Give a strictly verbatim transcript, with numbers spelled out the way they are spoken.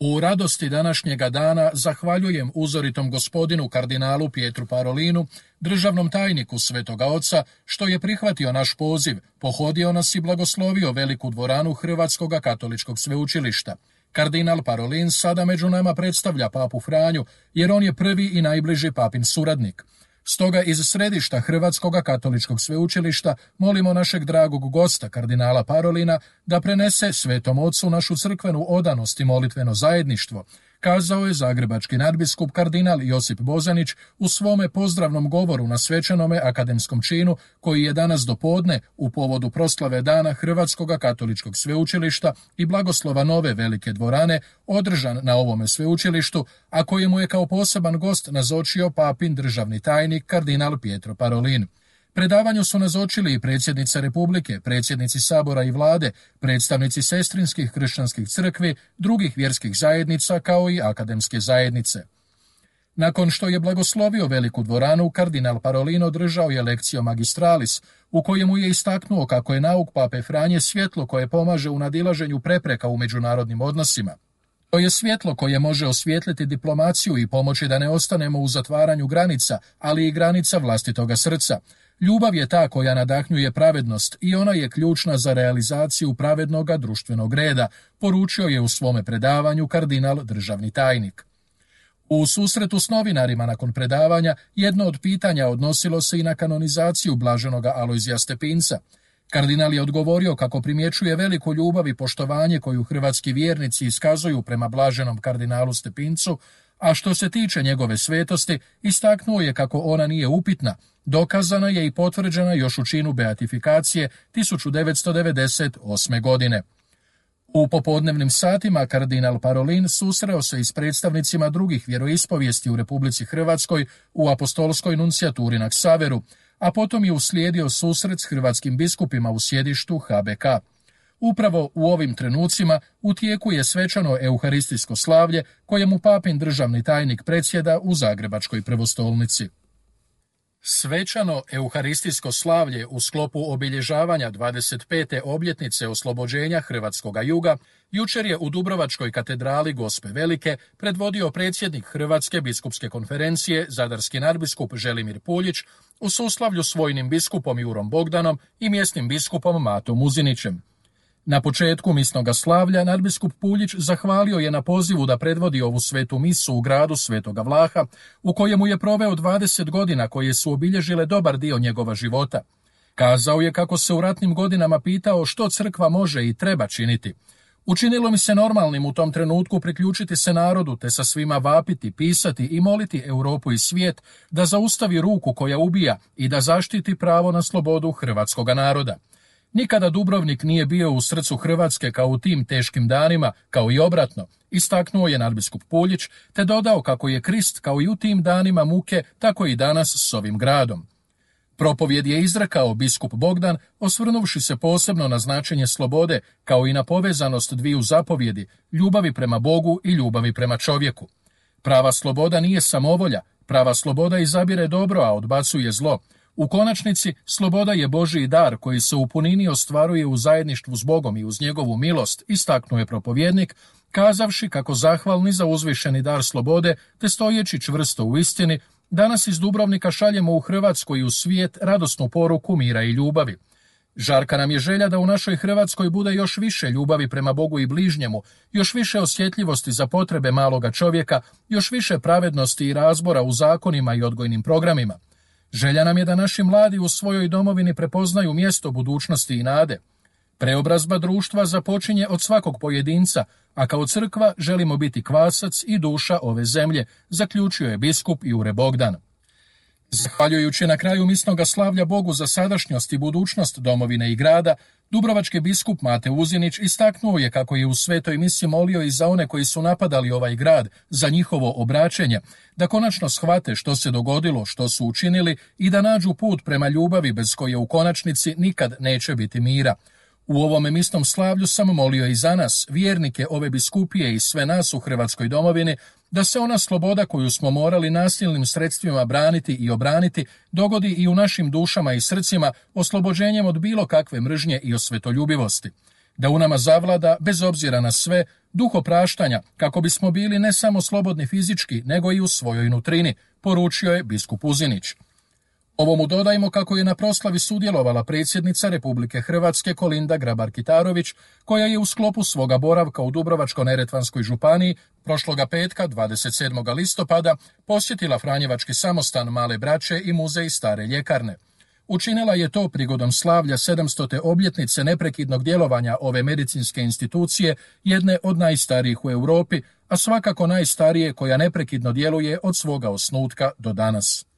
U radosti današnjega dana zahvaljujem uzoritom gospodinu kardinalu Pietru Parolinu, državnom tajniku Svetoga Oca, što je prihvatio naš poziv, pohodio nas i blagoslovio veliku dvoranu Hrvatskog katoličkog sveučilišta. Kardinal Parolin sada među nama predstavlja papu Franju, jer on je prvi i najbliži papin suradnik. Stoga iz središta Hrvatskog katoličkog sveučilišta molimo našeg dragog gosta, kardinala Parolina, da prenese Svetom Ocu našu crkvenu odanost i molitveno zajedništvo, kazao je zagrebački nadbiskup kardinal Josip Bozanić u svome pozdravnom govoru na svečanome akademskom činu koji je danas dopodne u povodu proslave dana Hrvatskog katoličkog sveučilišta i blagoslova nove velike dvorane održan na ovome sveučilištu, a kojemu je kao poseban gost nazočio papin državni tajnik kardinal Pietro Parolin. Predavanju su nazočili i predsjednica Republike, predsjednici Sabora i vlade, predstavnici sestrinskih kršćanskih crkvi, drugih vjerskih zajednica kao i akademske zajednice. Nakon što je blagoslovio veliku dvoranu, kardinal Parolin održao je lekcio magistralis, u kojemu je istaknuo kako je nauk pape Franje svjetlo koje pomaže u nadilaženju prepreka u međunarodnim odnosima. To je svjetlo koje može osvijetliti diplomaciju i pomoći da ne ostanemo u zatvaranju granica, ali i granica vlastitoga srca. Ljubav je ta koja nadahnjuje pravednost i ona je ključna za realizaciju pravednoga društvenog reda, poručio je u svome predavanju kardinal državni tajnik. U susretu s novinarima nakon predavanja jedno od pitanja odnosilo se i na kanonizaciju blaženoga Alojzija Stepinca. Kardinal je odgovorio kako primjećuje veliku ljubav i poštovanje koju hrvatski vjernici iskazuju prema blaženom kardinalu Stepincu, a što se tiče njegove svetosti, istaknuo je kako ona nije upitna, dokazana je i potvrđena još u činu beatifikacije tisuću devetsto devedeset osme. godine. U popodnevnim satima kardinal Parolin susreo se i s predstavnicima drugih vjeroispovijesti u Republici Hrvatskoj u apostolskoj nuncijaturi na Ksaveru, a potom je uslijedio susret s hrvatskim biskupima u sjedištu H B K. Upravo u ovim trenucima u tijeku je svečano euharistijsko slavlje kojemu papin državni tajnik predsjeda u Zagrebačkoj prvostolnici. Svečano euharistijsko slavlje u sklopu obilježavanja dvadeset pete obljetnice oslobođenja Hrvatskoga juga jučer je u Dubrovačkoj katedrali Gospe Velike predvodio predsjednik Hrvatske biskupske konferencije, zadarski nadbiskup Želimir Puljić, u suslavlju s vojnim biskupom Jurom Bogdanom i mjesnim biskupom Matom Muzinićem. Na početku misnoga slavlja nadbiskup Puljić zahvalio je na pozivu da predvodi ovu svetu misu u gradu Svetoga Vlaha, u kojemu je proveo dvadeset godina koje su obilježile dobar dio njegova života. Kazao je kako se u ratnim godinama pitao što crkva može i treba činiti. Učinilo mi se normalnim u tom trenutku priključiti se narodu te sa svima vapiti, pisati i moliti Europu i svijet da zaustavi ruku koja ubija i da zaštiti pravo na slobodu hrvatskoga naroda. Nikada Dubrovnik nije bio u srcu Hrvatske kao u tim teškim danima, kao i obratno, istaknuo je nadbiskup Puljić, te dodao kako je Krist kao i u tim danima muke, tako i danas s ovim gradom. Propovjed je izrekao biskup Bogdan, osvrnuvši se posebno na značenje slobode, kao i na povezanost dviju zapovjedi, ljubavi prema Bogu i ljubavi prema čovjeku. Prava sloboda nije samovolja, prava sloboda izabire dobro, a odbacuje zlo. U konačnici, sloboda je Božji dar koji se u punini ostvaruje u zajedništvu s Bogom i uz njegovu milost, istaknuo je propovjednik, kazavši kako zahvalni za uzvišeni dar slobode, te stojeći čvrsto u istini, danas iz Dubrovnika šaljemo u Hrvatsku i u svijet radosnu poruku mira i ljubavi. Žarka nam je želja da u našoj Hrvatskoj bude još više ljubavi prema Bogu i bližnjemu, još više osjetljivosti za potrebe maloga čovjeka, još više pravednosti i razbora u zakonima i odgojnim programima. Želja nam je da naši mladi u svojoj domovini prepoznaju mjesto budućnosti i nade. Preobrazba društva započinje od svakog pojedinca, a kao crkva želimo biti kvasac i duša ove zemlje, zaključio je biskup Jure Bogdan. Zahvaljujući na kraju misnoga slavlja Bogu za sadašnjost i budućnost domovine i grada, dubrovački biskup Mate Uzinić istaknuo je kako je u svetoj misi molio i za one koji su napadali ovaj grad, za njihovo obraćenje, da konačno shvate što se dogodilo, što su učinili i da nađu put prema ljubavi bez koje u konačnici nikad neće biti mira. U ovome misnom slavlju sam molio i za nas, vjernike ove biskupije i sve nas u Hrvatskoj domovini, da se ona sloboda koju smo morali nasilnim sredstvima braniti i obraniti dogodi i u našim dušama i srcima oslobođenjem od bilo kakve mržnje i osvetoljubivosti. da u nama zavlada, bez obzira na sve, duh opraštanja, kako bismo bili ne samo slobodni fizički, nego i u svojoj nutrini, poručio je biskup Uzinić. Ovomu dodajmo kako je na proslavi sudjelovala predsjednica Republike Hrvatske Kolinda Grabar-Kitarović, koja je u sklopu svoga boravka u Dubrovačko-neretvanskoj županiji prošloga petka, dvadeset sedmog listopada, posjetila Franjevački samostan Male braće i muzej Stare ljekarne. Učinila je to prigodom slavlja sedamstote obljetnice neprekidnog djelovanja ove medicinske institucije, jedne od najstarijih u Europi, a svakako najstarije koja neprekidno djeluje od svoga osnutka do danas.